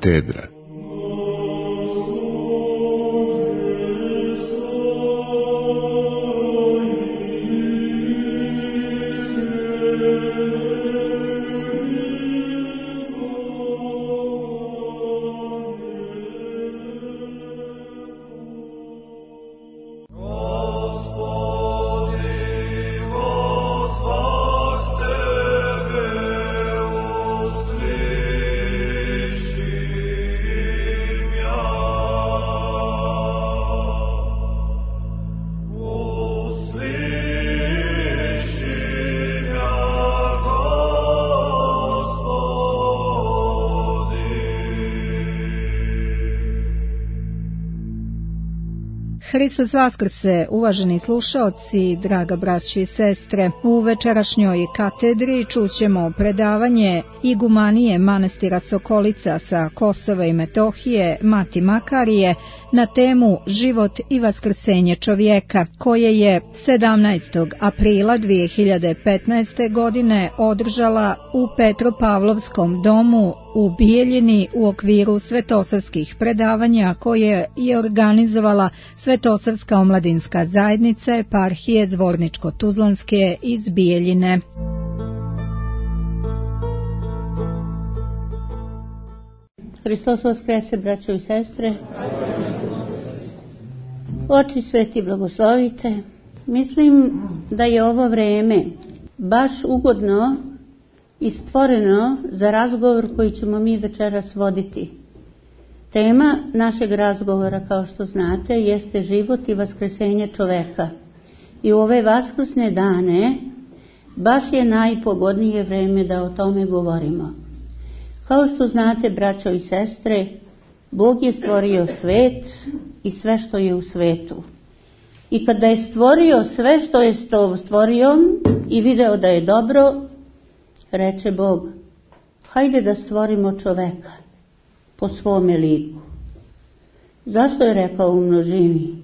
Katedra. Hristos vaskrse, uvaženi slušaoci, draga braćo i sestre. U večerašnjoj katedri čućemo predavanje igumanije manastira Sokolica sa Kosova i Metohije, Mati Makarije, na temu Život i vaskrsenje čovjeka, koje je 17. aprila 2015. godine održala u Petropavlovskom domu u Bijeljini u okviru svetosavskih predavanja koje je organizovala Svetosavska omladinska zajednica eparhije Zvorničko-Tuzlanske iz Bijeljine. Hristos vaskrese, braćo i sestre. Oči sveti blagoslovite. Mislim da je ovo vreme baš ugodno i stvoreno za razgovor koji ćemo mi večeras voditi. Tema našeg razgovora, kao što znate, jeste život i vaskresenje čoveka. I u ove vaskrsne dane baš je najpogodnije vreme da o tome govorimo. Kao što znate, braćo i sestre, Bog je stvorio svet i sve što je u svetu. I kada je stvorio sve što je stvorio i video da je dobro, reče Bog, hajde da stvorimo čoveka po svome liku. Zašto je rekao u množini?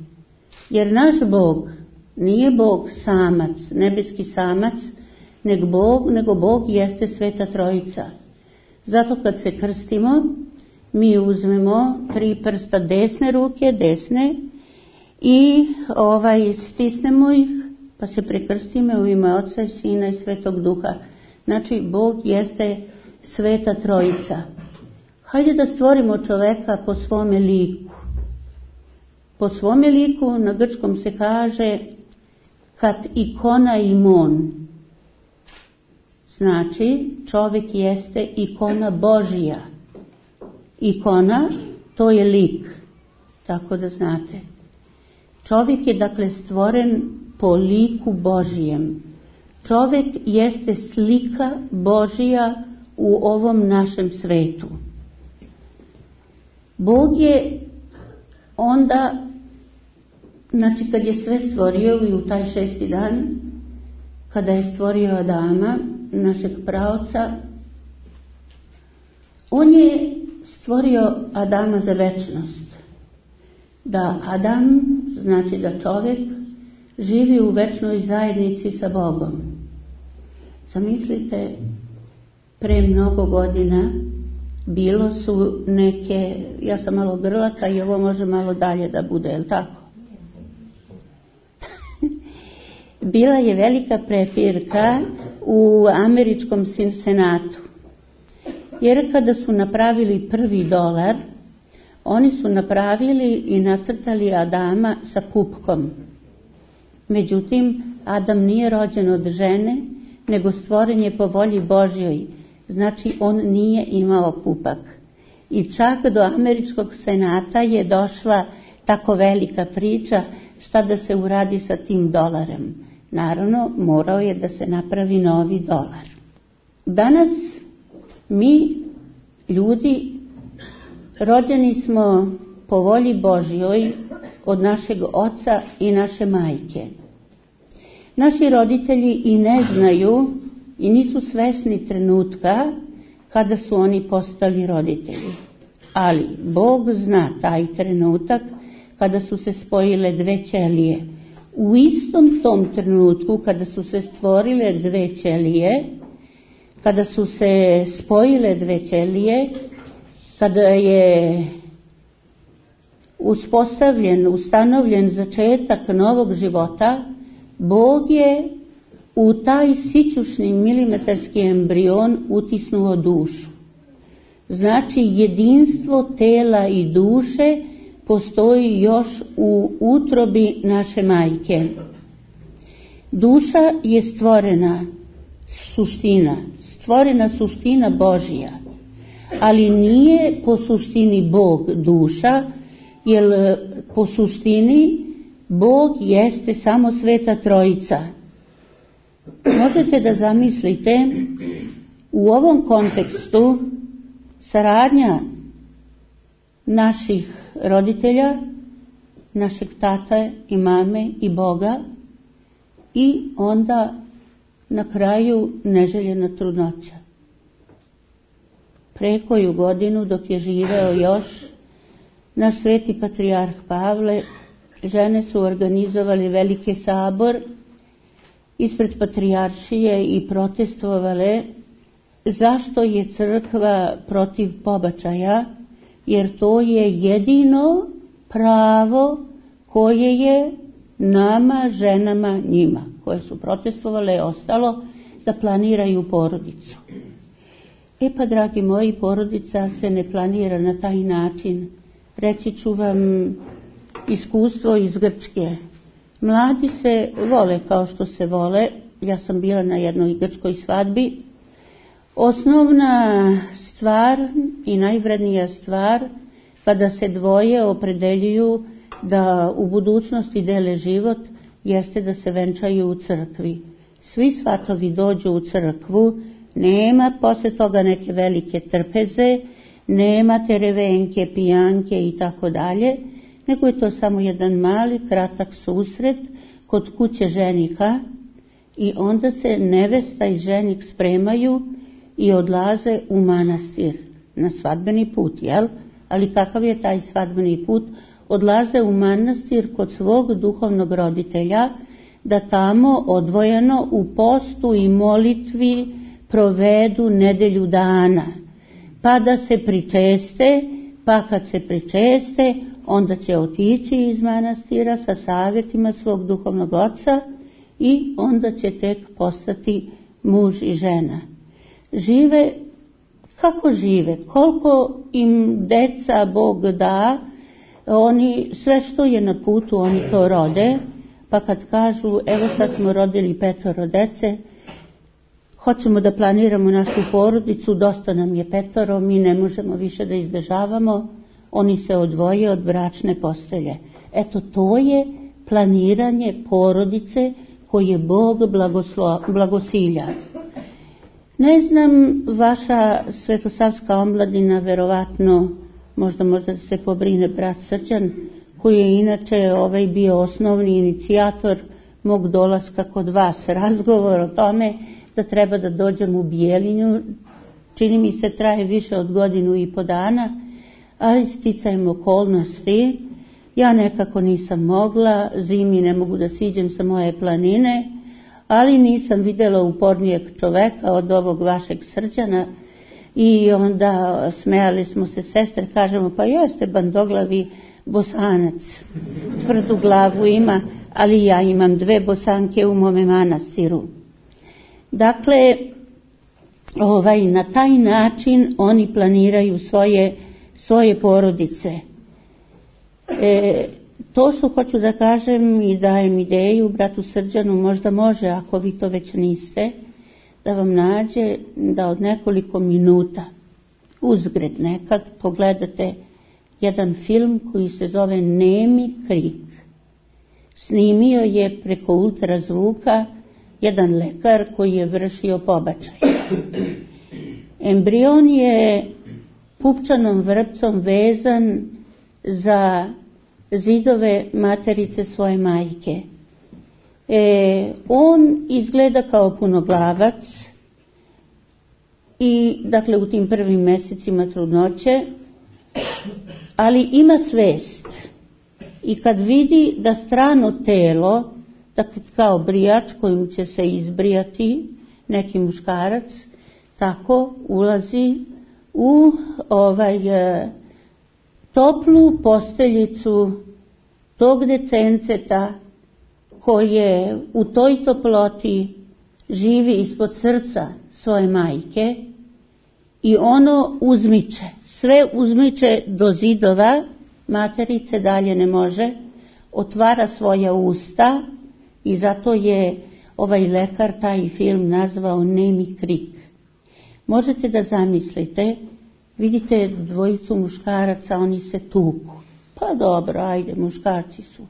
Jer naš Bog nije Bog samac, nebeski samac, nego Bog jeste Sveta Trojica. Zato kad se krstimo, mi uzmemo 3 prsta desne ruke, i stisnemo ih, pa se prekrstimo u ime Oca i Sina i Svetog Duha. Znači, Bog jeste Sveta Trojica. Hajde da stvorimo čoveka po svome liku. Po svome liku na grčkom se kaže kat ikona imon. Znači, čovjek jeste ikona Božija. Ikona, to je lik. Tako da znate. Čovjek je dakle stvoren po liku Božijem. Čovjek jeste slika Božija u ovom našem svetu. Bog je onda, znači kad je sve stvorio i u taj 6. dan, kada je stvorio Adama, našeg praoca, on je stvorio Adama za večnost. Da Adam, znači da čovjek, živi u večnoj zajednici sa Bogom. Zamislite, pre mnogo godina bilo su neke, ja sam malo grlata i ovo može malo dalje da bude, je li tako? Bila je velika prepirka u američkom senatu. Jer kada su napravili $1, oni su napravili i nacrtali Adama sa pupkom. Međutim, Adam nije rođen od žene, nego stvoren je po volji Božjoj. Znači, on nije imao pupak. I čak do američkog senata je došla tako velika priča šta da se uradi sa tim $. Naravno, morao je da se napravi novi $. Danas mi, ljudi, rođeni smo po volji Božjoj od našeg oca i naše majke. Naši roditelji i ne znaju i nisu svesni trenutka kada su oni postali roditelji. Ali Bog zna taj trenutak kada su se spojile 2 ćelije. U istom tom trenutku kada su se stvorile 2 ćelije, kada su se spojile 2 ćelije, kada je ustanovljen začetak novog života, Bog je u taj sićušni milimetarski embrion utisnuo dušu. Znači, jedinstvo tela i duše postoji još u utrobi naše majke. Duša je stvorena suština Božija, ali nije po suštini Bog duša, jer po suštini Bog jeste samo Sveta Trojica. Možete da zamislite u ovom kontekstu saradnja naših roditelja, našeg tate i mame i Boga, i onda na kraju neželjena trudnoća. Prekoju godinu dok je živeo još naš sveti patrijarh Pavle, žene su organizovali veliki sabor ispred patrijaršije i protestovale zašto je crkva protiv pobačaja, jer to je jedino pravo koje je nama, ženama, njima, koje su protestovale, ostalo da planiraju porodicu. Pa, dragi moji, porodica se ne planira na taj način. Reći ću vam iskustvo iz Grčke. Mladi se vole kao što se vole. Ja sam bila na jednoj grčkoj svadbi. Osnovna stvar i najvrednija stvar kada se dvoje opredeljuju da u budućnosti dele život jeste da se venčaju u crkvi. Svi svatovi dođu u crkvu, nema posle toga neke velike trpeze, nema terevenke, pijanke i tako dalje, nego je to samo jedan mali, kratak susret kod kuće ženika i onda se nevesta i ženik spremaju i odlaze u manastir na svadbeni put, jel? Ali kakav je taj svadbeni put? Odlaze u manastir kod svog duhovnog roditelja, da tamo odvojeno u postu i molitvi provedu nedelju dana, pa da se pričeste, pa kad se pričeste, onda će otići iz manastira sa savjetima svog duhovnog oca i onda će tek postati muž i žena. Žive kako žive, koliko im deca Bog da, oni sve što je na putu oni to rode, pa kad kažu evo sad smo rodili 5 dece, hoćemo da planiramo našu porodicu, dosta nam je 5, mi ne možemo više da izdržavamo, oni se odvoje od bračne postelje. Eto, to je planiranje porodice koje Bog blagosilja. Ne znam, vaša svetosavska omladina verovatno, možda se pobrine brat Srđan, koji je inače bio osnovni inicijator mog dolaska kod vas, razgovor o tome da treba da dođem u Bijeljinu. Čini mi se traje više od 1.5 godina, ali sticajem okolnosti ja nekako nisam mogla, zimi ne mogu da siđem sa moje planine, ali nisam vidjela upornijeg čoveka od ovog vašeg Srđana i onda smejali smo se sestre, kažemo pa jeste bandoglavi Bosanac, tvrdu glavu ima, ali ja imam 2 Bosanke u mome manastiru. Dakle, na taj način oni planiraju svoje porodice. To što hoću da kažem i dajem ideju bratu Srđanu, možda može, ako vi to već niste, da vam nađe da od nekoliko minuta uzgred nekad pogledate jedan film koji se zove Nemi krik. Snimio je preko ultrazvuka jedan lekar koji je vršio pobačaj. Embrion je pupčanom vrpcom vezan za zidove materice svoje majke. On izgleda kao punoglavac i dakle u tim prvim mjesecima trudnoće, ali ima svest. I kad vidi da strano telo, dakle kao brijač kojim će se izbrijati neki muškarac, tako ulazi u toplu posteljicu tog decenceta koje u toj toploti živi ispod srca svoje majke i ono uzmiče, sve uzmiče do zidova, materice dalje ne može, otvara svoja usta i zato je ovaj lekar taj film nazvao Nemi krik. Možete da zamislite, vidite dvojicu muškaraca, oni se tuku. Pa dobro, ajde, muškarci su.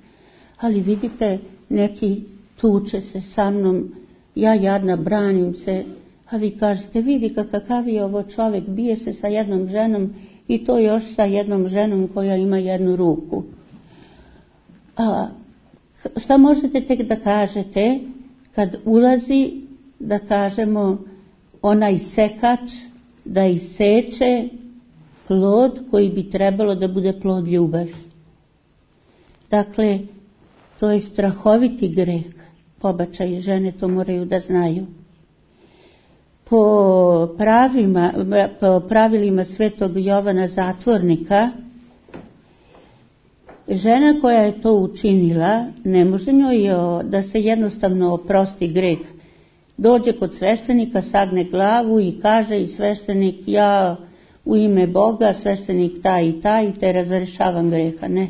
Ali vidite, neki tuče se sa mnom, ja jadna branim se, a vi kažete, vidi kakav je ovo čovjek, bije se sa jednom ženom i to još sa jednom ženom koja ima jednu ruku. A šta možete tek da kažete kad ulazi, da kažemo, onaj sekač da iseče plod koji bi trebalo da bude plod ljubavi. Dakle, to je strahoviti greh, pobačaj, žene to moraju da znaju. Po pravilima Svetog Jovana Zatvornika, žena koja je to učinila, ne može njoj da se jednostavno oprosti greh. Dođe kod sveštenika, sagne glavu i kaže i sveštenik, ja u ime Boga, sveštenik taj i taj, te razrešavam greha. Ne.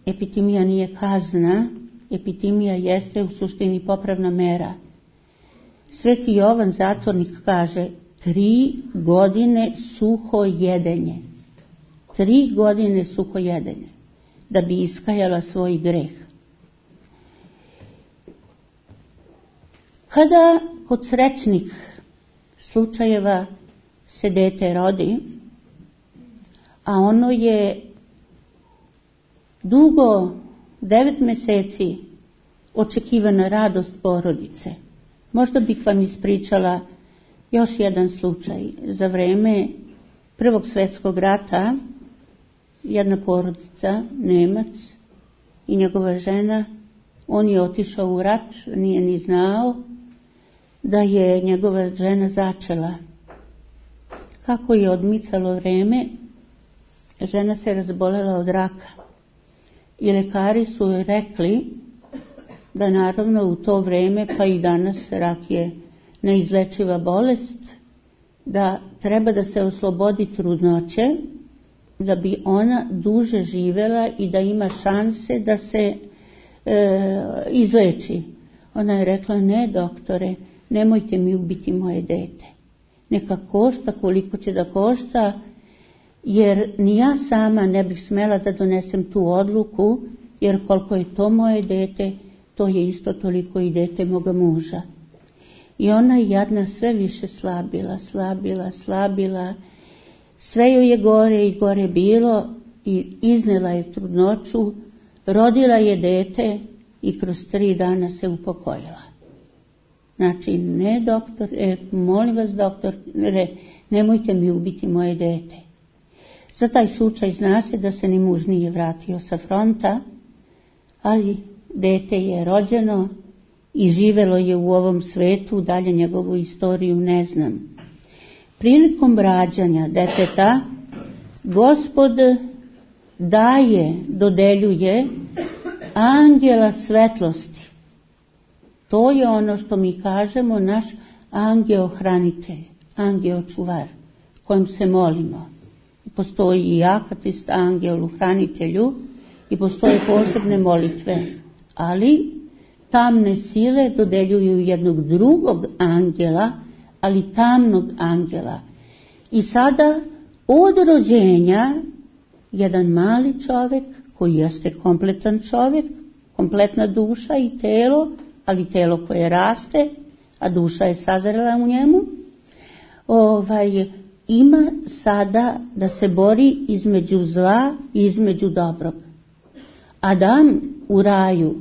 Epitimija nije kazna, epitimija jeste u suštini popravna mera. Sveti Jovan Zatvornik kaže 3 godine suho jedenje. 3 godine suho jedenje da bi iskajala svoj greh. Kada kod srećnih slučajeva se dete rodi, a ono je dugo 9 mjeseci očekivana radost porodice. Možda bih vam ispričala još jedan slučaj. Za vreme Prvog svjetskog rata jedna porodica, Nemac i njegova žena, on je otišao u rat, nije ni znao da je njegova žena začela. Kako je odmicalo vrijeme, žena se razbolela od raka. I lekari su rekli da naravno u to vrijeme, pa i danas, rak je neizlečiva bolest, da treba da se oslobodi trudnoće, da bi ona duže živjela i da ima šanse da se izleči. Ona je rekla, ne doktore, nemojte mi ubiti moje dete. Neka košta koliko će da košta, jer ni ja sama ne bih smela da donesem tu odluku, jer koliko je to moje dete, to je isto toliko i dete moga muža. I ona jadna sve više slabila, sve joj je gore i gore bilo i iznela je trudnoću, rodila je dete i kroz 3 dana se upokojila. Znači, ne doktor, molim vas doktor, nemojte mi ubiti moje dete. Za taj slučaj zna se da se ni muž nije vratio sa fronta, ali dete je rođeno i živelo je u ovom svetu, dalje njegovu istoriju ne znam. Prilikom rađanja deteta, Gospod dodeljuje anđela svetlosti. To je ono što mi kažemo naš angeo-hranitelj, angeo-čuvar, kojem se molimo. Postoji i akatist angelu-hranitelju i postoje posebne molitve, ali tamne sile dodeljuju jednog drugog angela, ali tamnog angela. I sada od rođenja jedan mali čovjek koji jeste kompletan čovjek, kompletna duša i telo, ali telo koje raste, a duša je sazrela u njemu, ima sada da se bori između zla i između dobrog. Adam u raju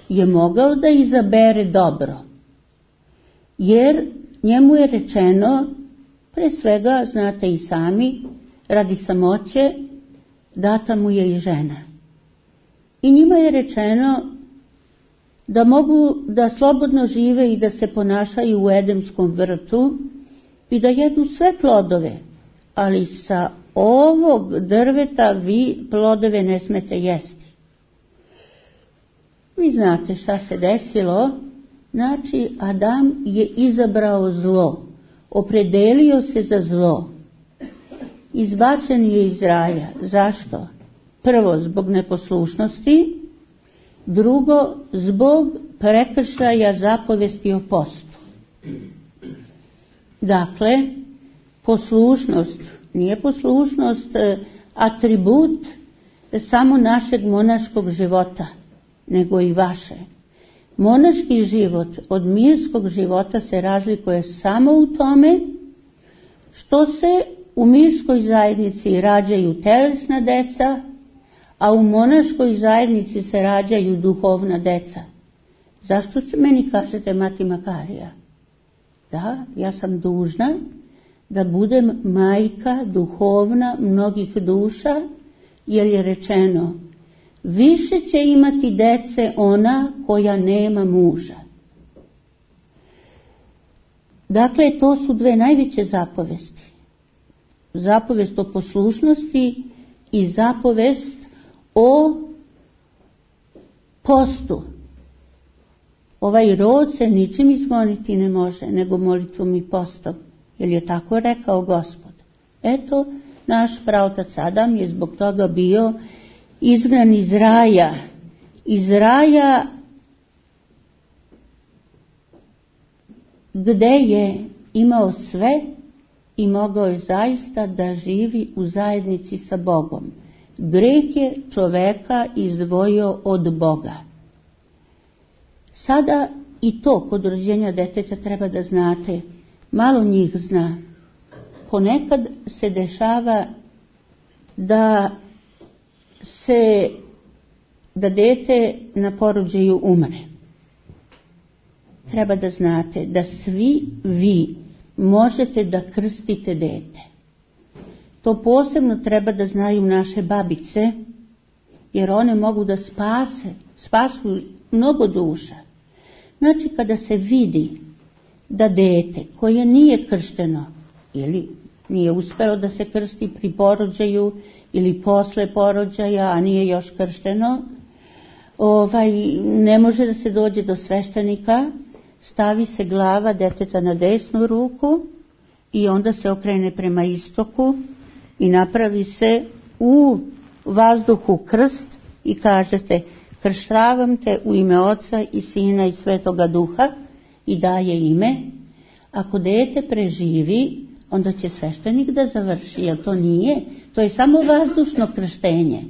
je mogao da izabere dobro, jer njemu je rečeno, pre svega, znate i sami, radi samoće, data mu je i žena. I njima je rečeno da mogu da slobodno žive i da se ponašaju u Edemskom vrtu i da jedu sve plodove, ali sa ovog drveta vi plodove ne smete jesti. Vi znate šta se desilo. Znači, Adam je izabrao zlo, opredelio se za zlo. Izbačen je iz raja. Zašto? Prvo, zbog neposlušnosti, drugo, zbog prekršaja zapovesti o postu. Dakle, poslušnost, nije poslušnost atribut samo našeg monaškog života, nego i vaše. Monaški život od mirskog života se razlikuje samo u tome što se u mirskoj zajednici rađaju telesna deca, a u monaškoj zajednici se rađaju duhovna deca. Zašto se meni kažete Mati Makarija? Da, ja sam dužna da budem majka duhovna mnogih duša, jer je rečeno: više će imati dece ona koja nema muža. Dakle, to su dve najveće zapovesti. Zapovest o poslušnosti i zapovest o postu. Ovaj rod se ničim izgoniti ne može, nego molitvom i postom, jer je tako rekao Gospod. Eto, naš praotac Adam je zbog toga bio izgnan iz raja gde je imao sve i mogao je zaista da živi u zajednici sa Bogom. Greh je čoveka izdvojio od Boga. Sada i to kod rođenja deteta treba da znate, malo njih zna. Ponekad se dešava da dete na porođaju umre. Treba da znate da svi vi možete da krstite dete. To posebno treba da znaju naše babice, jer one mogu da spasu mnogo duša. Znači, kada se vidi da dete koje nije kršteno ili nije uspelo da se krsti pri porođaju ili posle porođaja, a nije još kršteno, ne može da se dođe do sveštenika, stavi se glava deteta na desnu ruku i onda se okrene prema istoku i napravi se u vazduhu krst i kažete: krštavam te u ime Oca i Sina i Svetoga Duha, i daje ime. Ako dete preživi, onda će sveštenik da završi, jer to nije, to je samo vazdušno krštenje.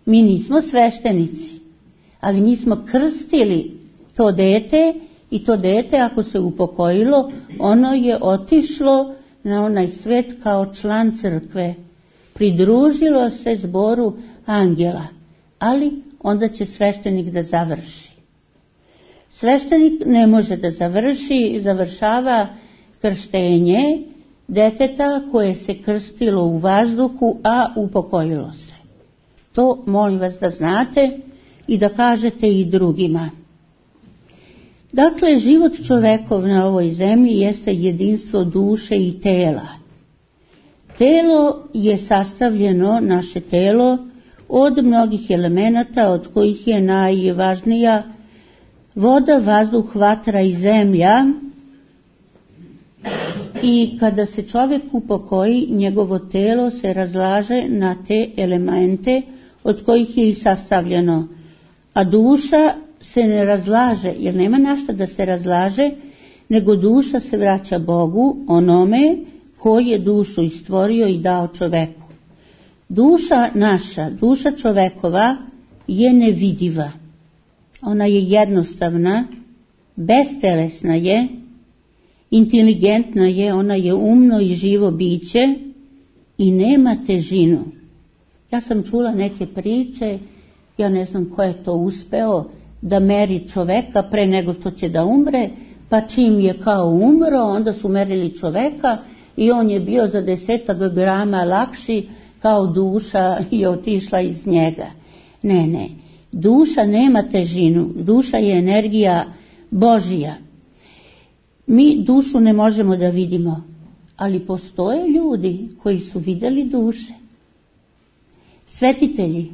Mi nismo sveštenici, ali mi smo krstili to dete, i to dete ako se upokojilo, ono je otišlo na onaj svet kao član crkve. Pridružilo se zboru angela, ali onda će sveštenik da završi. Sveštenik ne može da završava krštenje deteta koje se krstilo u vazduhu, a upokojilo se. To molim vas da znate i da kažete i drugima. Dakle, život čovekov na ovoj zemlji jeste jedinstvo duše i tela. Telo je sastavljeno, naše telo, od mnogih elemenata, od kojih je najvažnija voda, vazduh, vatra i zemlja. I kada se čovjek upokoji, njegovo telo se razlaže na te elemente od kojih je i sastavljeno. A duša se ne razlaže, jer nema na šta da se razlaže, nego duša se vraća Bogu, onome koji je dušu stvorio i dao čoveku. Duša naša, duša čovekova je nevidiva. Ona je jednostavna, bestelesna je, inteligentna je, ona je umno i živo biće i nema težinu. Ja sam čula neke priče, ja ne znam ko je to uspeo da meri čoveka pre nego što će da umre, pa čim je kao umro, onda su merili čoveka i on je bio za 10 grama lakši, kao duša je otišla iz njega. Ne, duša nema težinu, duša je energija Božija. Mi dušu ne možemo da vidimo, ali postoje ljudi koji su vidjeli duše. Svetitelji,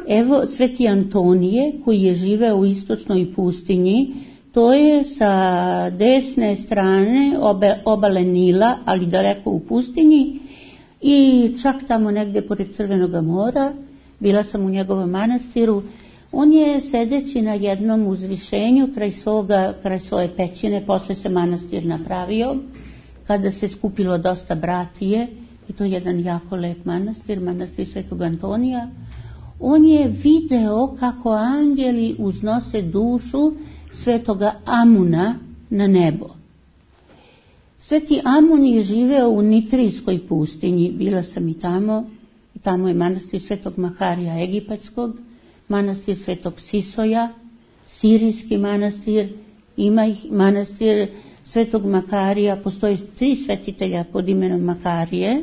evo Sveti Antonije koji je živeo u istočnoj pustinji, to je sa desne strane obale Nila, ali daleko u pustinji i čak tamo negdje pored Crvenog mora, bila sam u njegovom manastiru. On je sedeći na jednom uzvišenju kraj svoje pećine, posle se manastir napravio, kada se skupilo dosta bratije, i to je jedan jako lep manastir, manastir Svetog Antonija. On je video kako angeli uznose dušu Svetoga Amuna na nebo. Sveti Amun je živeo u Nitrijskoj pustinji, bila sam i tamo je manastir Svetog Makarija Egipatskog, manastir Svetog Sisoja, sirijski manastir, ima ih manastir Svetog Makarija, postoje 3 svetitelja pod imenom Makarije,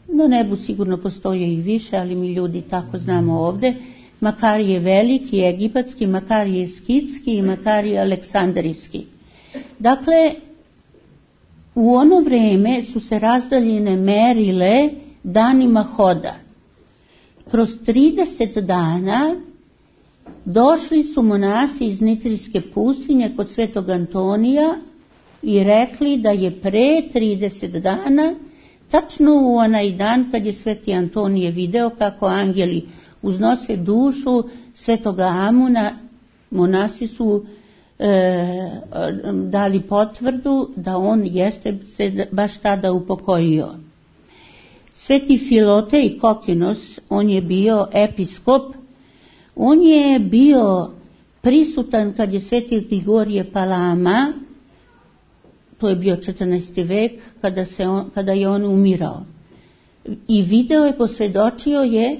na nebu sigurno postoje i više, ali mi ljudi tako znamo ovdje. Makarije veliki, egipatski, Makarije skitski i Makarije aleksandrijski. Dakle, u ono vrijeme su se razdaljine merile danima hoda. Kroz 30 dana došli su monasi iz Nitrijske pustinje kod Svetog Antonija i rekli da je pre 30 dana, tačno u onaj dan kad je Sveti Antonije video kako angeli uznose dušu Svetoga Amuna, monasi su dali potvrdu da on jeste se baš tada upokojio. Sveti Filotej Kokinos, on je bio episkop, on je bio prisutan kad je Sveti Grigorije Palama, to je bio 14. vek, kada je on umirao. I video je, posvjedočio je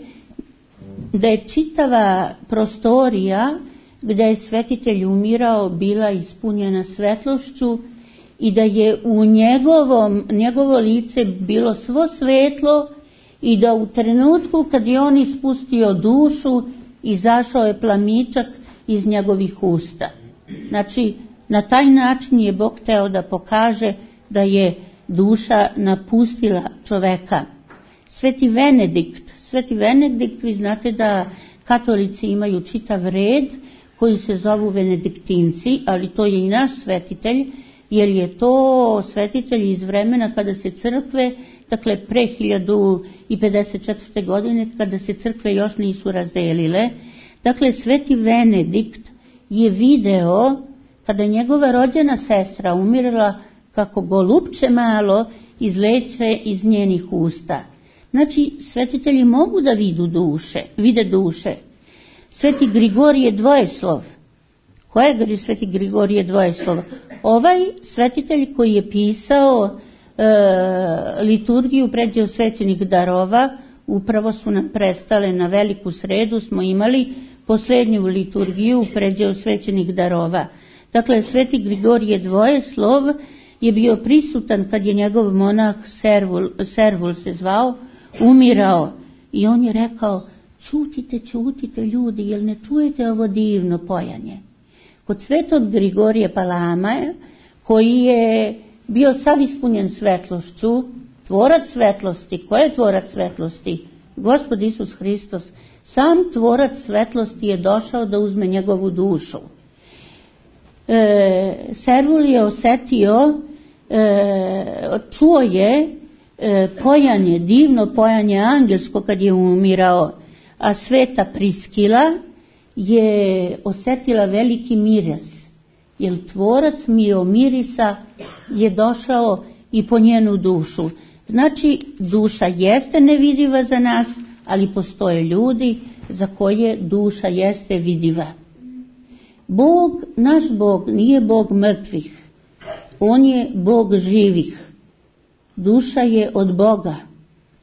da je čitava prostorija gdje je svetitelj umirao bila ispunjena svetlošću i da je u njegovo lice bilo svo svetlo i da u trenutku kad je on ispustio dušu, izašao je plamičak iz njegovih usta. Znači, na taj način je Bog hteo da pokaže da je duša napustila čoveka. Sveti Venedikt, vi znate da katolici imaju čitav red koji se zovu Venediktinci, ali to je i naš svetitelj, jer je to svetitelj iz vremena kada se crkve, dakle pre 1054. godine, kada se crkve još nisu razdelile. Dakle, Sveti Venedikt je video, kada njegova rođena sestra umirala, kako golupče malo izleće iz njenih usta. Znači, svetitelji mogu da vide duše. Sveti Grigorije Dvojeslov. Ko je Sveti Grigorije Dvojeslov? Ovaj svetitelj koji je pisao liturgiju pređe osvećenih darova, upravo su nam prestale na Veliku sredu, smo imali posljednju liturgiju pređe osvećenih darova. Dakle, Sveti Grigorije Dvojeslov je bio prisutan kad je njegov monah Servul se zvao, umirao. I on je rekao, čutite ljudi, jel ne čujete ovo divno pojanje? Kod Svetog Grigorija Palama, koji je bio sav ispunjen svetlošću, tvorac svetlosti. Ko je tvorac svetlosti? Gospod Isus Hristos. Sam tvorac svetlosti je došao da uzme njegovu dušu. Servul je osetio, čuo je pojanje, divno pojanje angelsko kad je umirao, a Sveta Priskila je osetila veliki miris, jer tvorac mirisa je došao i po njenu dušu. Znači, duša jeste nevidiva za nas, ali postoje ljudi za koje duša jeste vidiva. Naš Bog nije Bog mrtvih, on je Bog živih. Duša je od Boga,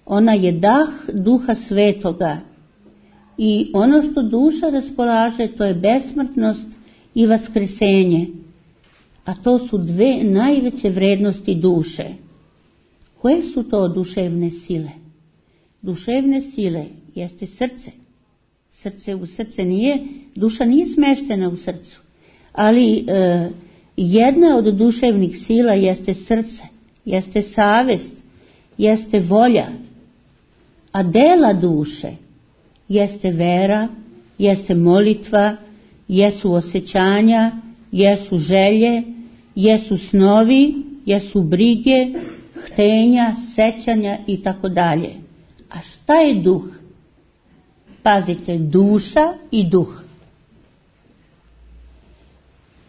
ona je dah Duha Svetoga i ono što duša raspolaže, to je besmrtnost i vaskresenje, a to su 2 najveće vrednosti duše. Koje su to duševne sile? Duševne sile jeste srce. Duša nije smeštena u srcu, ali jedna od duševnih sila jeste srce, jeste savest, jeste volja, a dela duše jeste vera, jeste molitva, jesu osjećanja, jesu želje, jesu snovi, jesu brige, htenja, sećanja i tako dalje. A šta je duh? Pazite, duša i duh.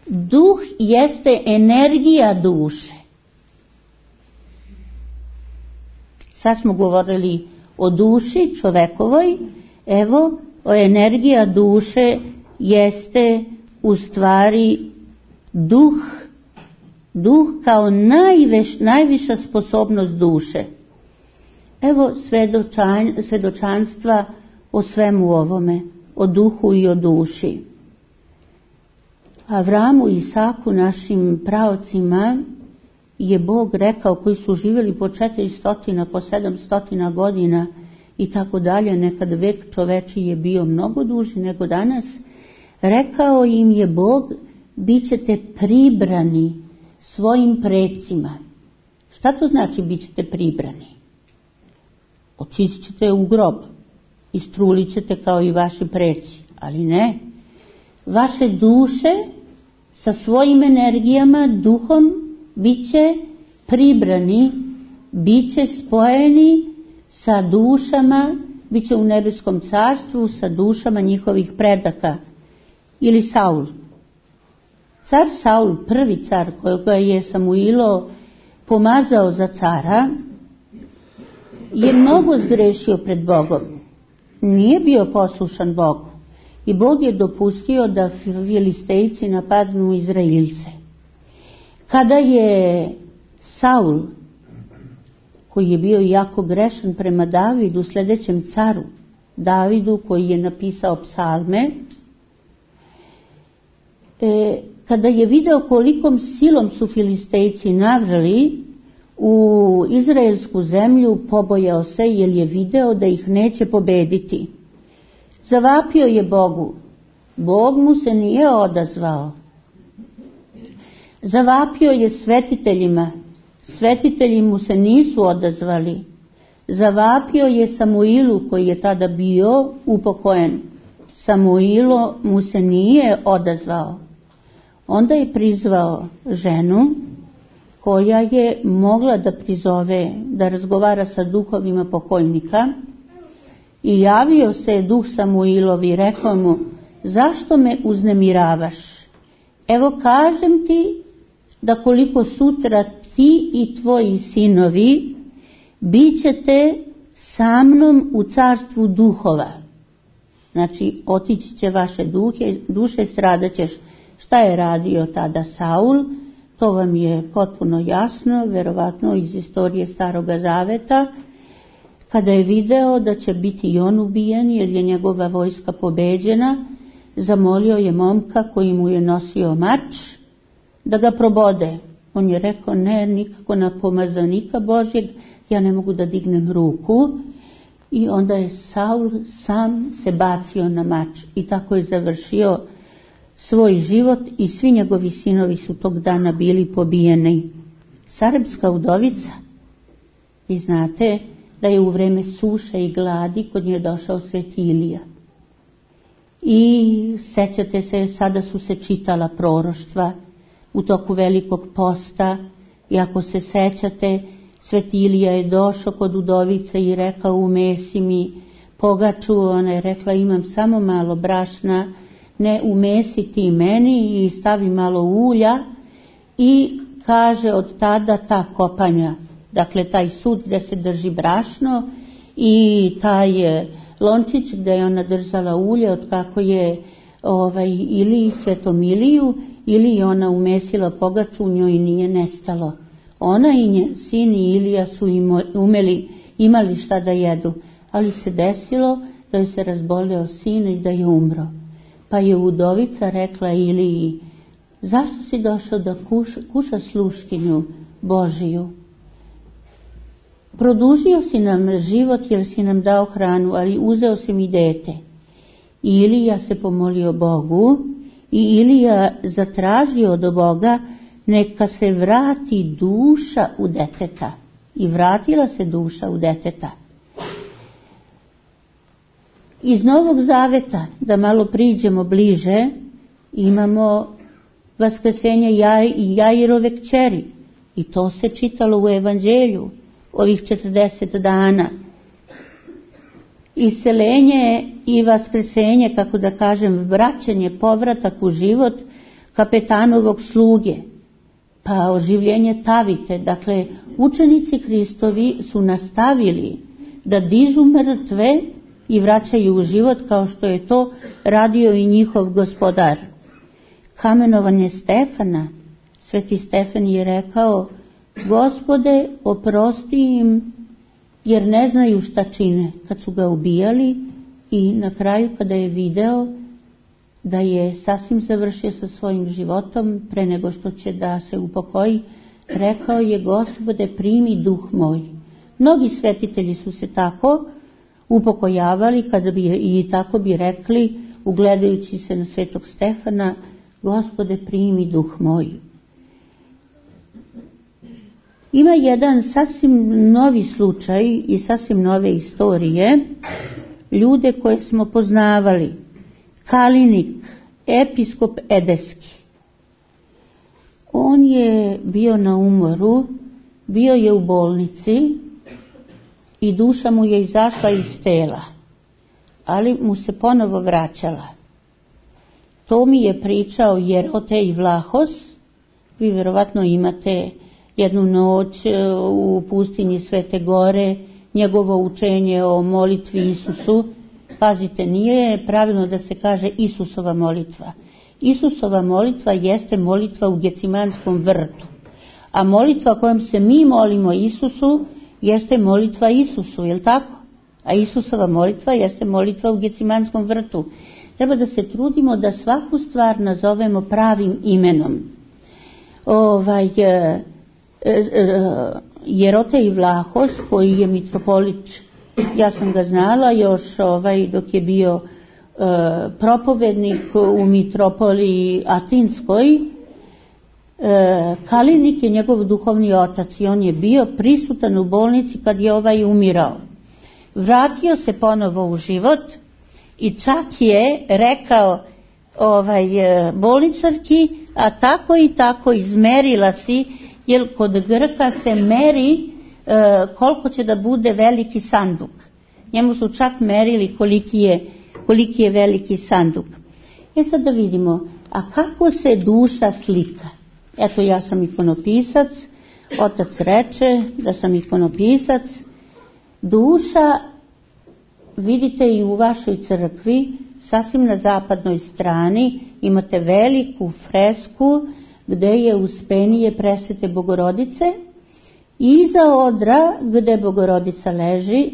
Duh jeste energija duše. Sad smo govorili o duši čovekovoj, evo, energija duše jeste u stvari duh kao najviša sposobnost duše. Evo svedočanstva o svemu ovome, o duhu i o duši. Avramu i Isaku, našim praocima, je Bog rekao, koji su živjeli po 400, po 700 godina i tako dalje, nekad vek čoveči je bio mnogo duži nego danas, rekao im je Bog, bit ćete pribrani svojim precima. Šta to znači bit ćete pribrani? Otići ćete u grob, istrulit ćete kao i vaši preci, ali ne. Vaše duše sa svojim energijama, duhom, bit će pribrani, bit će spojeni sa dušama, bit će u nebeskom carstvu sa dušama njihovih predaka. Ili Saul. Car Saul, prvi car kojega je Samuilo pomazao za cara, je mnogo zgrešio pred Bogom. Nije bio poslušan Bogu. I Bog je dopustio da Filistejci napadnu Izraelce. Kada je Saul, koji je bio jako grešan prema Davidu, sljedećem caru, Davidu, koji je napisao psalme, kada je video kolikom silom su Filistejci navrali u izraelsku zemlju, pobojao se jer je video da ih neće pobediti. Zavapio je Bogu. Bog mu se nije odazvao. Zavapio je svetiteljima. Svetitelji mu se nisu odazvali. Zavapio je Samuilu, koji je tada bio upokojen. Samuilo mu se nije odazvao. Onda je prizvao ženu koja je mogla da prizove, da razgovara sa duhovima pokojnika, i javio se duh Samuilovi i rekao mu, zašto me uznemiravaš? Evo kažem ti da koliko sutra ti i tvoji sinovi bit ćete sa mnom u carstvu duhova. Znači, otići će vaše duše, stradat ćeš. Šta je radio tada Saul? To vam je potpuno jasno, verovatno iz istorije Staroga Zaveta. Kada je video da će biti i on ubijen jer je njegova vojska pobeđena, zamolio je momka koji mu je nosio mač da ga probode. On je rekao, ne, nikako na pomazanika Božjeg, ja ne mogu da dignem ruku. I onda je Saul sam se bacio na mač i tako je završio svoj život i svi njegovi sinovi su tog dana bili pobijeni. Sarepska udovica, vi znate da je u vreme suše i gladi kod nje došao Sveti Ilija. I sećate se, sada su se čitala proroštva u toku Velikog posta, i ako se sećate, Sveti Ilija je došao kod udovice i rekao, umesi mi pogaču. Ona je rekla, imam samo malo brašna, ne, umesi ti meni i stavi malo ulja. I kaže, od tada ta kopanja, dakle taj sud gdje se drži brašno i taj lončić gdje je ona držala ulje, od kako je ili Svetom Iliju, ili ona umesila pogaču, u njoj nije nestalo. Ona i njen sin i Ilija su imali šta da jedu, ali se desilo da je se razboleo sin i da je umro. Pa je udovica rekla Iliji, zašto si došao da kuša sluškinju Božiju? Produžio si nam život jer si nam dao hranu, ali uzeo si mi dete. I Ilija se pomolio Bogu i Ilija zatražio od Boga neka se vrati duša u deteta. I vratila se duša u deteta. Iz Novog Zaveta, da malo priđemo bliže, imamo vaskrsenje Jairove kćeri. I to se čitalo u Evanđelju ovih 40 dana. Iseljenje i vaskrsenje, kako da kažem, vraćanje, povratak u život kapetanovog sluge, pa oživljenje Tavite. Dakle, učenici Hristovi su nastavili da dižu mrtve i vraćaju u život, kao što je to radio i njihov gospodar. Kamenovanje Stefana, Sveti Stefan je rekao: Gospode, oprosti im, jer ne znaju šta čine, kad su ga ubijali. I na kraju, kada je video da je sasvim završio sa svojim životom, pre nego što će da se upokoji, rekao je: Gospode, primi duh moj. Mnogi svetitelji su se tako upokojavali, kada bi i tako bi rekli, ugledajući se na Svetog Stefana: Gospode, primi duh moj. Ima jedan sasvim novi slučaj i sasvim nove istorije, ljude koje smo poznavali. Kalinik, episkop Edeski. On je bio na umoru, bio je u bolnici i duša mu je izašla iz tela, ali mu se ponovo vraćala. To mi je pričao Jerotej Vlahos. Vi vjerovatno imate jednu noć u pustinji Svete Gore, njegovo učenje o molitvi Isusu. Pazite, nije pravilno da se kaže Isusova molitva. Isusova molitva jeste molitva u Gecimanskom vrtu. A molitva kojom se mi molimo Isusu jeste molitva Isusu, je li tako? A Isusova molitva jeste molitva u Gecimanskom vrtu. Treba da se trudimo da svaku stvar nazovemo pravim imenom. Jerotej Vlahos, koji je mitropolit, ja sam ga znala još dok je bio propovednik u mitropoliji Atinskoj. Kalinik je njegov duhovni otac i on je bio prisutan u bolnici kad je umirao. Vratio se ponovo u život i čak je rekao bolničarki: a tako i tako izmerila si, jer kod Grka se meri koliko će da bude veliki sanduk. Njemu su čak merili koliki je veliki sanduk. Sad da vidimo, a kako se duša slika? Eto, ja sam ikonopisac, otac reče da sam ikonopisac. Duša, vidite i u vašoj crkvi, sasvim na zapadnoj strani imate veliku fresku gde je uspenije Presvete Bogorodice. Iza odra gde Bogorodica leži,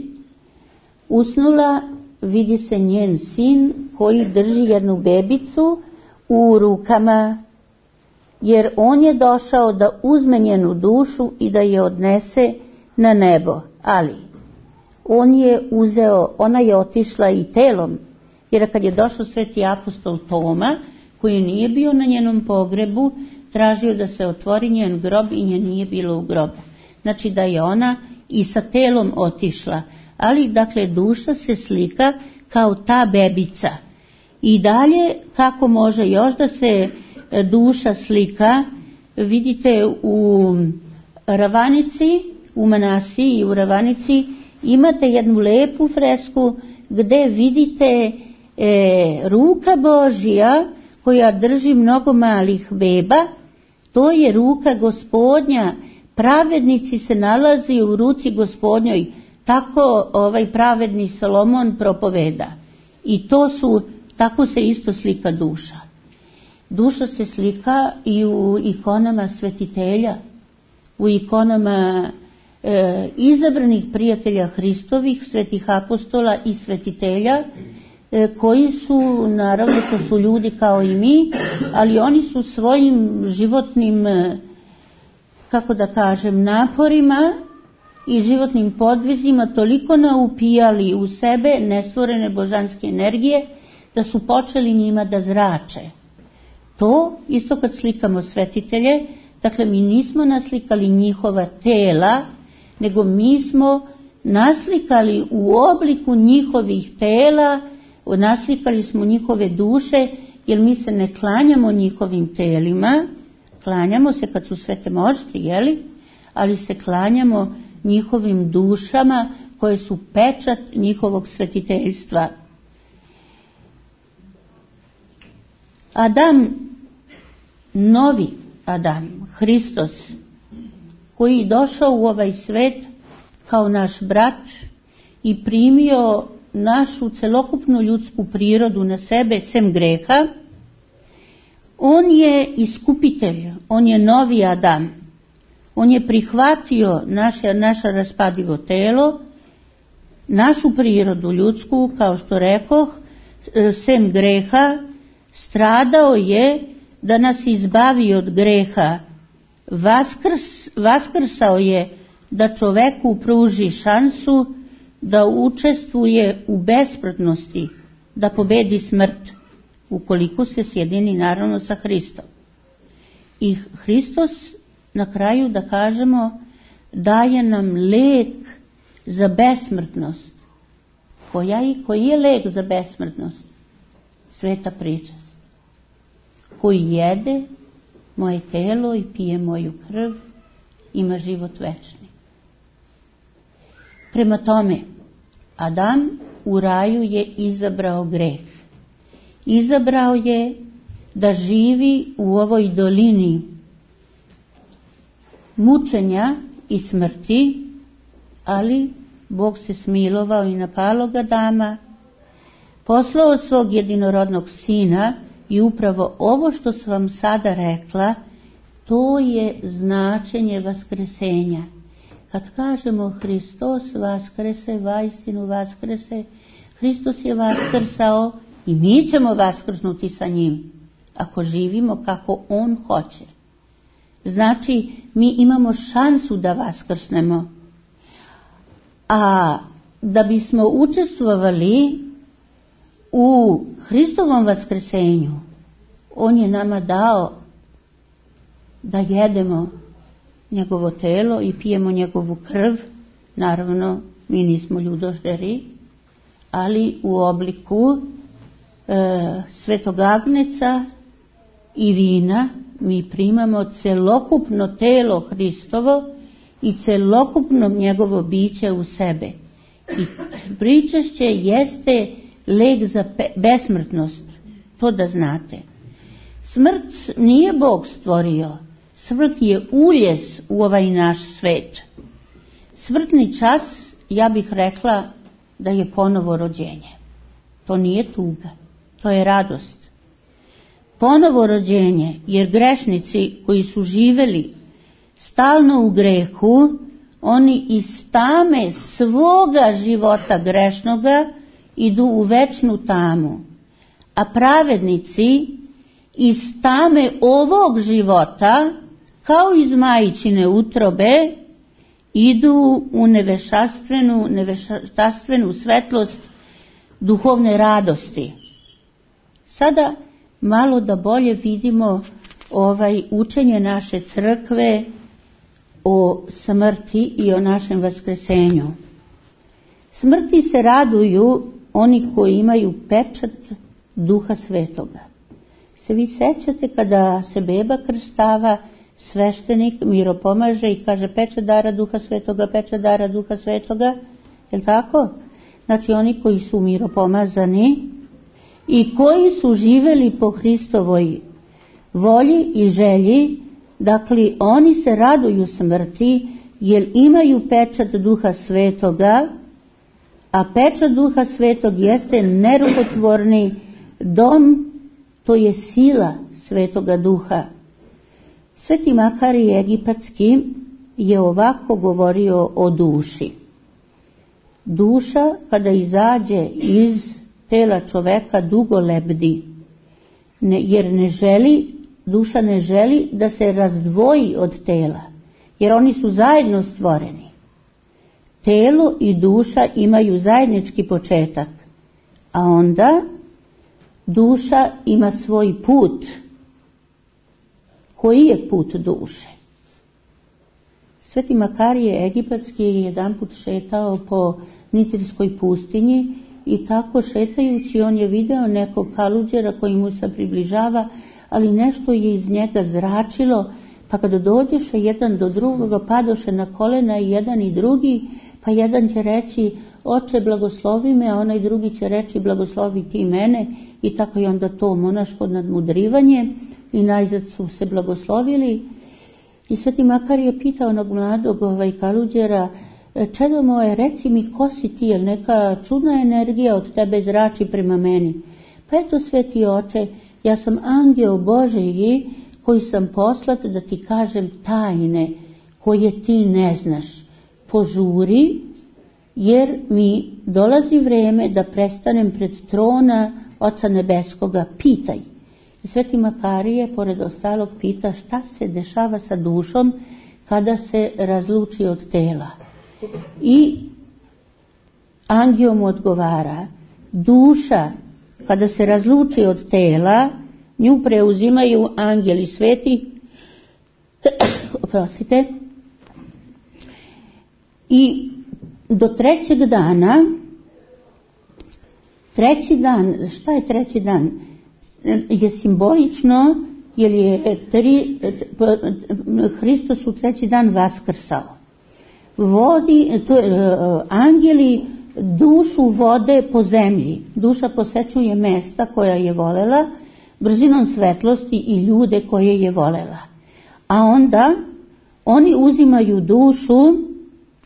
usnula, vidi se njen sin koji drži jednu bebicu u rukama, jer on je došao da uzme njenu dušu i da je odnese na nebo. Ali ona je otišla i telom, jer kad je došao Sveti apostol Toma, koji nije bio na njenom pogrebu, tražio da se otvori njen grob i nje nije bilo u grobu. Znači da je ona i sa telom otišla. Ali, dakle, duša se slika kao ta bebica. I dalje, kako može još da se duša slika, vidite u Ravanici, u Manasiji i u Ravanici imate jednu lepu fresku gde vidite ruka Božija koja drži mnogo malih beba. To je ruka Gospodnja. Pravednici se nalazi u ruci Gospodnjoj. Tako pravedni Solomon propoveda. I tako se isto slika duša. Duša se slika i u ikonama svetitelja, u ikonama izabranih prijatelja Hristovih, svetih apostola i svetitelja, koji su, naravno, to su ljudi kao i mi, ali oni su svojim životnim, kako da kažem, naporima i životnim podvizima toliko naupijali u sebe nestvorene božanske energije da su počeli njima da zrače. To, isto kad slikamo svetitelje, Dakle, mi nismo naslikali njihova tela, nego mi smo naslikali u obliku njihovih tela, naslikali smo njihove duše, jer mi se ne klanjamo njihovim telima, klanjamo se kad su svete mošti, jeli? Ali se klanjamo njihovim dušama koje su pečat njihovog svetiteljstva. Adam, novi Adam, Hristos, koji je došao u ovaj svet kao naš brat i primio našu celokupnu ljudsku prirodu na sebe, sem greha, on je iskupitelj, on je novi Adam. On je prihvatio naše raspadivo telo, našu prirodu ljudsku, kao što rekoh, sem greha, stradao je da nas izbavi od greha, vaskrsao je da čoveku pruži šansu da učestvuje u besmrtnosti, da pobedi smrt, ukoliko se sjedini naravno sa Hristom. I Hristos, na kraju da kažemo, daje nam lek za besmrtnost. Koji je lek za besmrtnost? Sveta pričast. Koji jede moje telo i pije moju krv, ima život večni. Prema tome, Adam u raju je izabrao greh. Izabrao je da živi u ovoj dolini mučenja i smrti, ali Bog se smilovao i napalo ga Adama, poslao svog jedinorodnog sina i upravo ovo što sam vam sada rekla, to je značenje vaskresenja. Kad kažemo Hristos vaskrese, vaistinu vaskrese, Hristos je vaskrsao i mi ćemo vaskrsnuti sa njim, ako živimo kako on hoće. Znači, mi imamo šansu da vaskrsnemo. A da bismo učestvovali u Hristovom vaskrsenju, on je nama dao da jedemo njegovo telo i pijemo njegovu krv. Naravno, mi nismo ljudožderi, ali u obliku svetog agnjeca i vina mi primamo celokupno telo Hristovo i celokupno njegovo biće u sebe. I pričešće jeste lek za besmrtnost, to da znate. Smrt nije Bog stvorio, smrt je uljez u ovaj naš svet. Smrtni čas, ja bih rekla da je ponovo rođenje. To nije tuga, to je radost. Ponovo rođenje, jer grešnici koji su živeli stalno u grehu, oni iz tame svoga života grešnoga idu u večnu tamu, a pravednici iz tame ovog života, kao iz majčine utrobe, idu u neveštastvenu svetlost duhovne radosti. Sada malo da bolje vidimo učenje naše crkve o smrti i o našem vaskresenju. Smrti se raduju oni koji imaju pečat Duha Svetoga. Se vi sećate kada se beba krstava, sveštenik miropomaže i kaže pečat dara Duha Svetoga, pečat dara Duha Svetoga, je li tako? Znači oni koji su miropomazani i koji su živeli po Hristovoj volji i želji, dakle oni se raduju smrti jer imaju pečat Duha Svetoga, a pečat Duha Svetog jeste nerukotvorni dom, to je sila Svetoga Duha. Sveti Makarij Egipatski je ovako govorio o duši. Duša kada izađe iz tela čoveka dugo lebdi, jer duša ne želi da se razdvoji od tela, jer oni su zajedno stvoreni. Telo i duša imaju zajednički početak, a onda duša ima svoj put. Koji je put duše? Sveti Makarije Egipatski je jedanput šetao po Nitrijskoj pustinji i tako šetajući on je video nekog kaluđera koji mu se približava, ali nešto je iz njega zračilo, pa kada dođeše jedan do drugoga, padoše na kolena i jedan i drugi, pa jedan će reći oče blagoslovi me, a onaj drugi će reći blagoslovi ti mene, i tako je onda to monaško nadmudrivanje i najzad su se blagoslovili. I Sveti Makar je pitao onog mladog kaluđera, čedo moje, reci mi ko si ti, jer neka čudna energija od tebe zrači prema meni. Pa eto, sveti oče, ja sam angel Božji koji sam poslat da ti kažem tajne koje ti ne znaš. Požuri, jer mi dolazi vreme da prestanem pred trona Oca Nebeskoga, pitaj. I Sveti Makarije, pored ostalog, pita šta se dešava sa dušom kada se razluči od tela. I angel mu odgovara, duša kada se razluči od tela, nju preuzimaju angeli sveti, oprostite, i do treći dan, šta je treći dan? Je simbolično, jer je Hristos u treći dan vaskrsao. Angeli dušu vode po zemlji. Duša posečuje mesta koja je volela, brzinom svetlosti i ljude koje je volela. A onda oni uzimaju dušu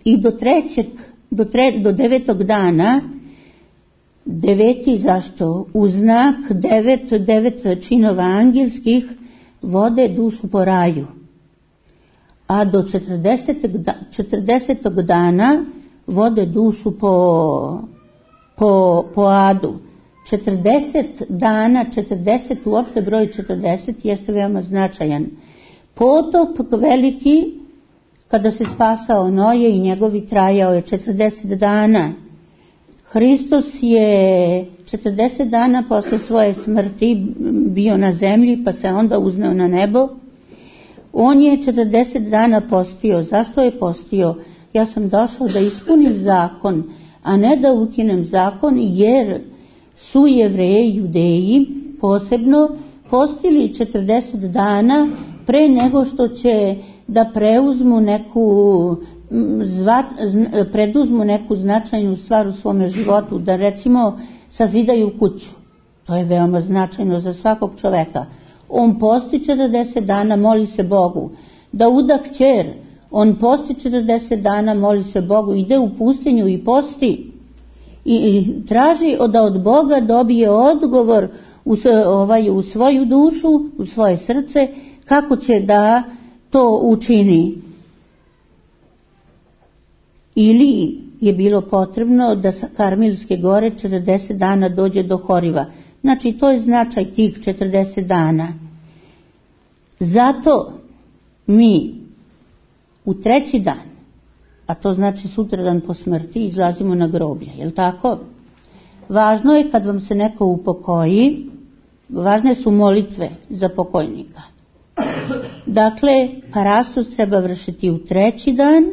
i do 9. dana, 9. zašto? U znak 9 činova angelskih vode dušu po raju. A do 40. dana vode dušu po adu. 40 dana, 40, uopšte broj 40 jeste veoma značajan. Potop veliki, kada se spasao Noje i njegovi, trajao je 40 dana. Hristos je 40 dana posle svoje smrti bio na zemlji, pa se onda uzneo na nebo. On je 40 dana postio. Zašto je postio? Ja sam došao da ispunim zakon, a ne da ukinem zakon, jer su Jevreji, Judeji posebno postili 40 dana pre nego što će da preduzmu neku značajnu stvar u svome životu, da recimo sazidaju kuću. To je veoma značajno za svakog čoveka. On posti 40 dana, moli se Bogu. Da uda kćer, on posti 40 dana, moli se Bogu, ide u pustinju i posti i traži da od Boga dobije odgovor u svoju dušu, u svoje srce, kako će da to učini. Ili je bilo potrebno da sa Karmelske gore 40 dana dođe do Horiva. Znači, to je značaj tih 40 dana. Zato mi u treći dan, a to znači sutradan po smrti, izlazimo na groblje, je li tako? Važno je kad vam se neko upokoji, važne su molitve za pokojnika. Dakle, parastos treba vršiti u treći dan,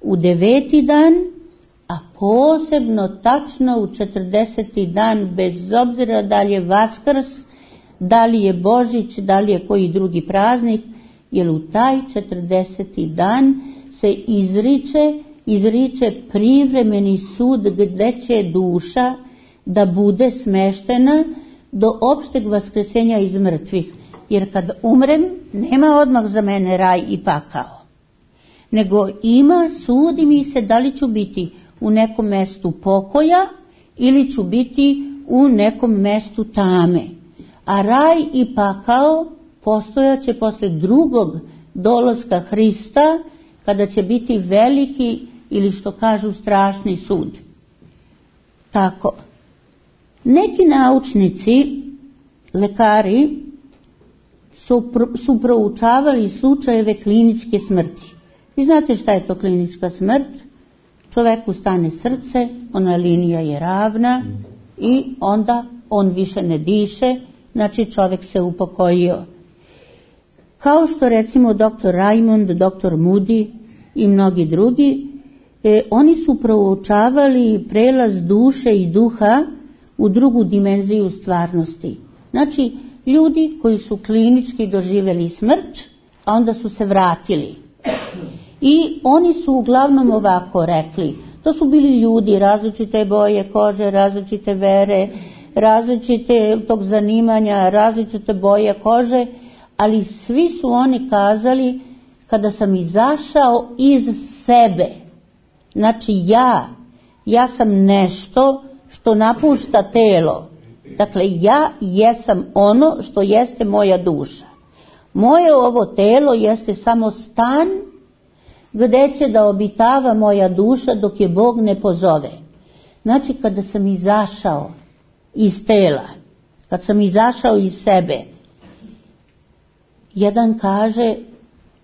u 9. dan, a posebno tačno u 40. dan, bez obzira da li je Vaskrs, da li je Božić, da li je koji drugi praznik, jer u taj 40. dan se izriče privremeni sud gde će duša da bude smeštena do opšteg vaskresenja iz mrtvih. Jer kad umrem, nema odmah za mene raj i pakao. Nego sudi mi se da li ću biti u nekom mestu pokoja ili ću biti u nekom mestu tame. A raj i pakao postojaće posle drugog dolaska Hrista, kada će biti veliki ili što kažu strašni sud. Tako. Neki naučnici, lekari, su proučavali slučajeve kliničke smrti. Vi znate šta je to klinička smrt? Čoveku stane srce, ona linija je ravna i onda on više ne diše, znači čovjek se upokojio. Kao što recimo dr. Raymond, dr. Moody i mnogi drugi, oni su proučavali prelaz duše i duha u drugu dimenziju stvarnosti. Znači, ljudi koji su klinički doživjeli smrt, a onda su se vratili. I oni su uglavnom ovako rekli, to su bili ljudi različite boje kože, različite vere, različite tog zanimanja, različite boje kože, ali svi su oni kazali, kada sam izašao iz sebe, znači ja sam nešto što napušta telo, dakle ja jesam ono što jeste moja duša. Moje ovo telo jeste samo stan gdje će da obitava moja duša dok je Bog ne pozove. Znači kada sam izašao iz tela, kad sam izašao iz sebe, jedan kaže,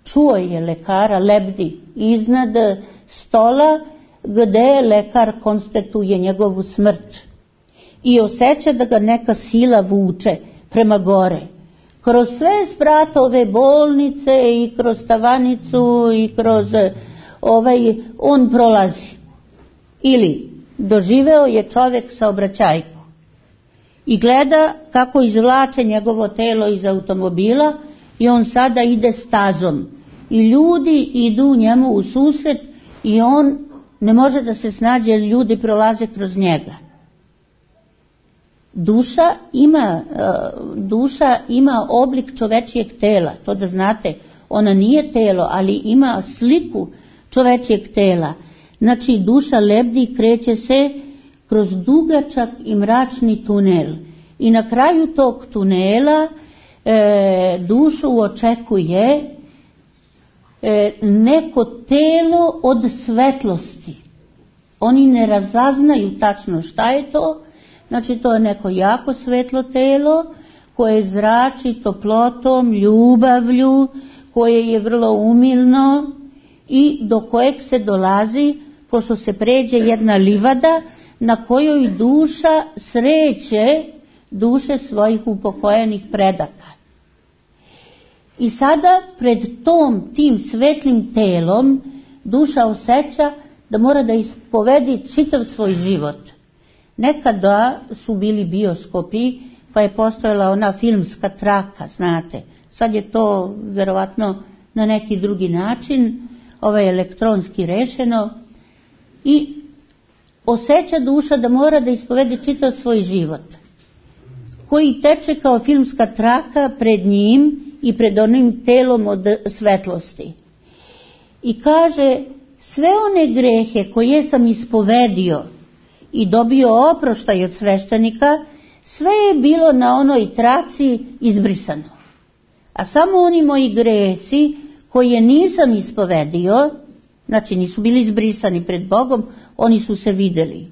čuo je lekara lebdi iznad stola gdje lekar konstatuje njegovu smrt i osjeća da ga neka sila vuče prema gore. Kroz sve spratove bolnice i kroz tavanicu i kroz on prolazi. Ili doživeo je čovjek saobraćajku i gleda kako izvlače njegovo telo iz automobila i on sada ide stazom. I ljudi idu njemu u susret i on ne može da se snađe jer ljudi prolaze kroz njega. Duša ima oblik čovečijeg tela, to da znate, ona nije telo, ali ima sliku čovečijeg tela. Znači duša lebdi i kreće se kroz dugačak i mračni tunel. I na kraju tog tunela dušu očekuje neko telo od svetlosti. Oni ne razaznaju tačno šta je to. Znači to je neko jako svetlo telo koje zrači toplotom, ljubavlju, koje je vrlo umilno i do kojeg se dolazi pošto se pređe jedna livada na kojoj duša sreće duše svojih upokojenih predaka. I sada pred tim svetlim telom duša osjeća da mora da ispovedi čitav svoj život. Nekada su bili bioskopi, pa je postojala ona filmska traka, znate. Sad je to vjerovatno na neki drugi način, elektronski rešeno. I osjeća duša da mora da ispovedi čitav svoj život, koji teče kao filmska traka pred njim i pred onim telom od svetlosti. I kaže, sve one grehe koje sam ispovedio i dobio oproštaj od sveštenika, sve je bilo na onoj traci izbrisano. A samo oni moji gresi koje nisam ispovedio, znači nisu bili izbrisani pred Bogom, oni su se vidjeli.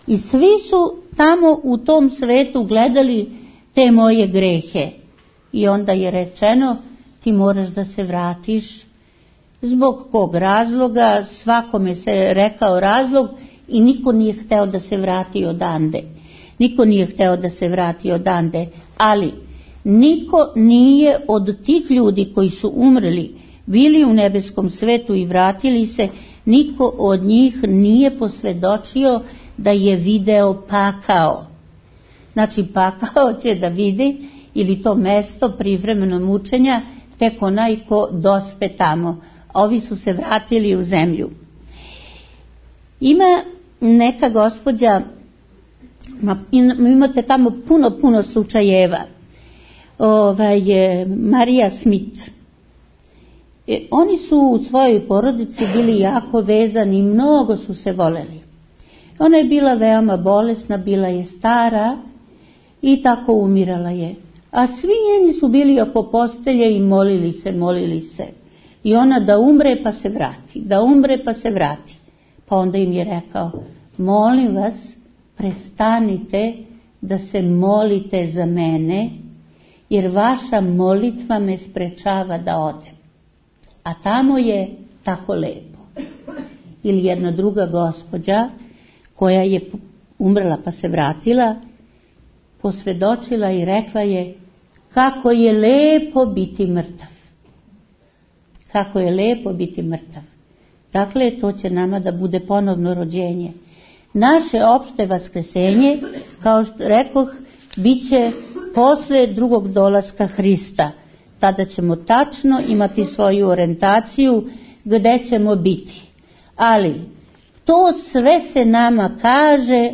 I svi su tamo u tom svetu gledali te moje grehe. I onda je rečeno, ti moraš da se vratiš. Zbog kog razloga, svakome se rekao razlog i niko nije hteo da se vrati odande. Niko nije hteo da se vrati odande, ali niko nije od tih ljudi koji su umrli, bili u nebeskom svetu i vratili se, niko od njih nije posvjedočio da je video pakao. Znači pakao će da vidi ili to mesto privremenog mučenja tek onaj ko dospe tamo. Ovi su se vratili u zemlju. Ima neka gospođa, imate tamo puno slučajeva, Marija Smith. Oni su u svojoj porodici bili jako vezani, mnogo su se voleli. Ona je bila veoma bolesna, bila je stara i tako umirala je. A svi njeni su bili oko postelje i molili se. I ona da umre pa se vrati, da umre pa se vrati. Pa onda im je rekao, molim vas, prestanite da se molite za mene, jer vaša molitva me sprečava da odem. A tamo je tako lepo. Ili jedna druga gospođa koja je umrla pa se vratila, posvjedočila i rekla je, kako je lepo biti mrtav. Kako je lepo biti mrtav. Dakle, to će nama da bude ponovno rođenje. Naše opšte vaskresenje, kao što rekoh, bit će posle drugog dolaska Hrista. Tada ćemo tačno imati svoju orijentaciju gde ćemo biti. Ali to sve se nama kaže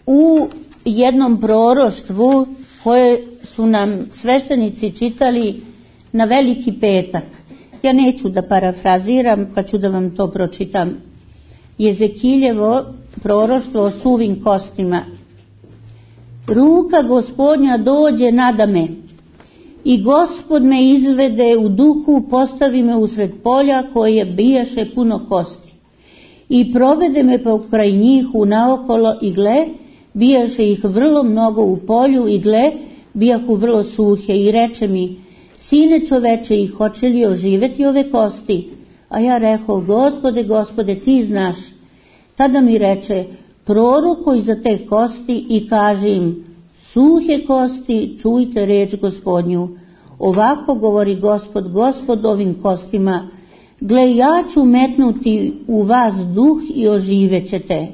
u jednom proroštvu koje su nam sveštenici čitali na Veliki petak. Ja neću da parafraziram, pa ću da vam to pročitam. Jezekiljevo proroštvo o suvim kostima. Ruka Gospodnja dođe nadame i Gospod me izvede u duhu, postavi me usred polja koje bijaše puno kosti. I provede me pokraj njih unaokolo i gle, bijaše ih vrlo mnogo u polju i gle, bijahu vrlo suhe i reče mi, sine čoveče, i hoće li oživeti ove kosti? A ja rekao, Gospode, Gospode, ti znaš. Tada mi reče, prorokuj za te kosti i kaži im, suhe kosti, čujte reč Gospodnju. Ovako govori Gospod, Gospod ovim kostima, gle, ja ću metnuti u vas duh i oživećete.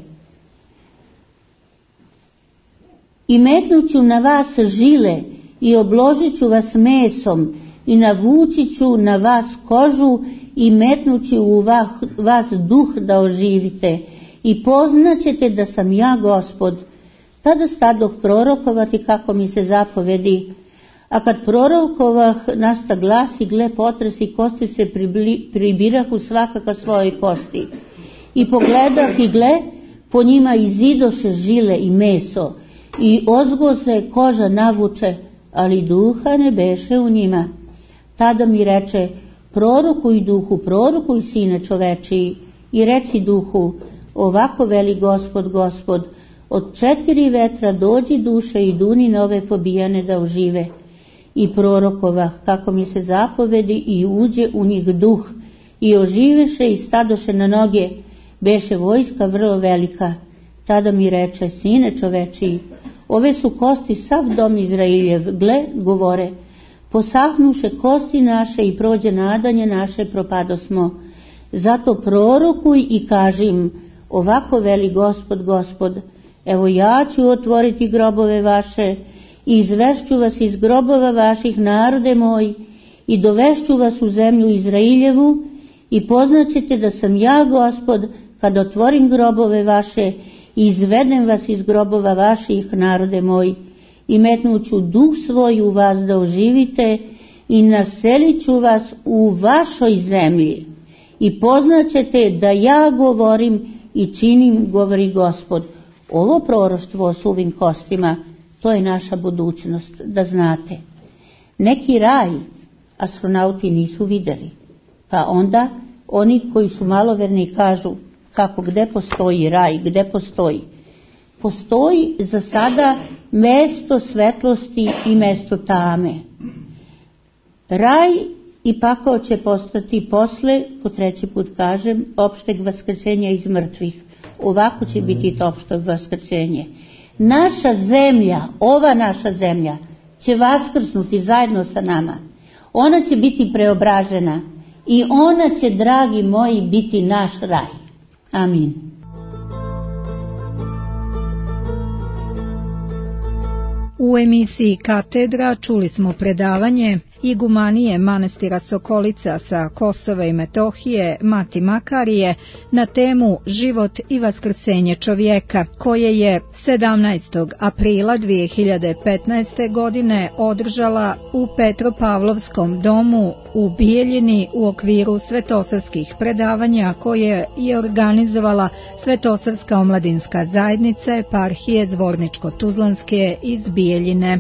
I metnuću na vas žile i obložit ću vas mesom i navući ću na vas kožu i metnuću u vas duh da oživite i poznaćete da sam ja Gospod. Tada stadoh prorokovati kako mi se zapovedi, a kad prorokovah nasta glas i gle potres i kosti se pribirahu svakaka svojoj kosti. I pogledah i gle, po njima izidoše žile i meso i ozgo se koža navuče, ali duha ne beše u njima. Tada mi reče, prorokuj duhu, prorokuj sine čovečiji i reci duhu, ovako veli Gospod, Gospod, od 4 vetra dođi duše i duni na ove pobijane da ožive. I prorokovah kako mi se zapovedi i uđe u njih duh i oživeše i stadoše na noge, beše vojska vrlo velika. Tada mi reče, sine čovečiji, ove su kosti sav dom Izrailjev, gle, govore, posahnuše kosti naše i prođe nadanje naše, propadosmo. Zato prorokuj i kažim, ovako veli Gospod, Gospod, evo ja ću otvoriti grobove vaše i izvešću vas iz grobova vaših, narode moj, i dovešću vas u zemlju Izrailjevu i poznaćete da sam ja Gospod kad otvorim grobove vaše i izvedem vas iz grobova vaših, narode moj, i metnuću duh svoj u vas da oživite i naselit ću vas u vašoj zemlji i poznaćete da ja govorim i činim, govori Gospod. Ovo proroštvo o suvim kostima, to je naša budućnost, da znate. Neki raj astronauti nisu vidjeli, pa onda oni koji su maloverni kažu, kako, gde postoji raj, gde postoji? Postoji za sada mesto svetlosti i mesto tame. Raj i pakao će postati posle, po 3. put kažem, opšteg vaskrsenja iz mrtvih. Ovako će biti to opšto vaskrsenje. Naša zemlja, ova naša zemlja, će vaskrsnuti zajedno sa nama. Ona će biti preobražena i ona će, dragi moji, biti naš raj. Amin. U emisiji Katedra čuli smo predavanje igumanije manastira Sokolica sa Kosova i Metohije, Mati Makarije, na temu Život i vaskrsenje čovjeka, koje je 17. aprila 2015. godine održala u Petropavlovskom domu u Bijeljini u okviru svetosavskih predavanja koje je organizovala Svetosavska omladinska zajednica eparhije Zvorničko-Tuzlanske iz Bijeljine.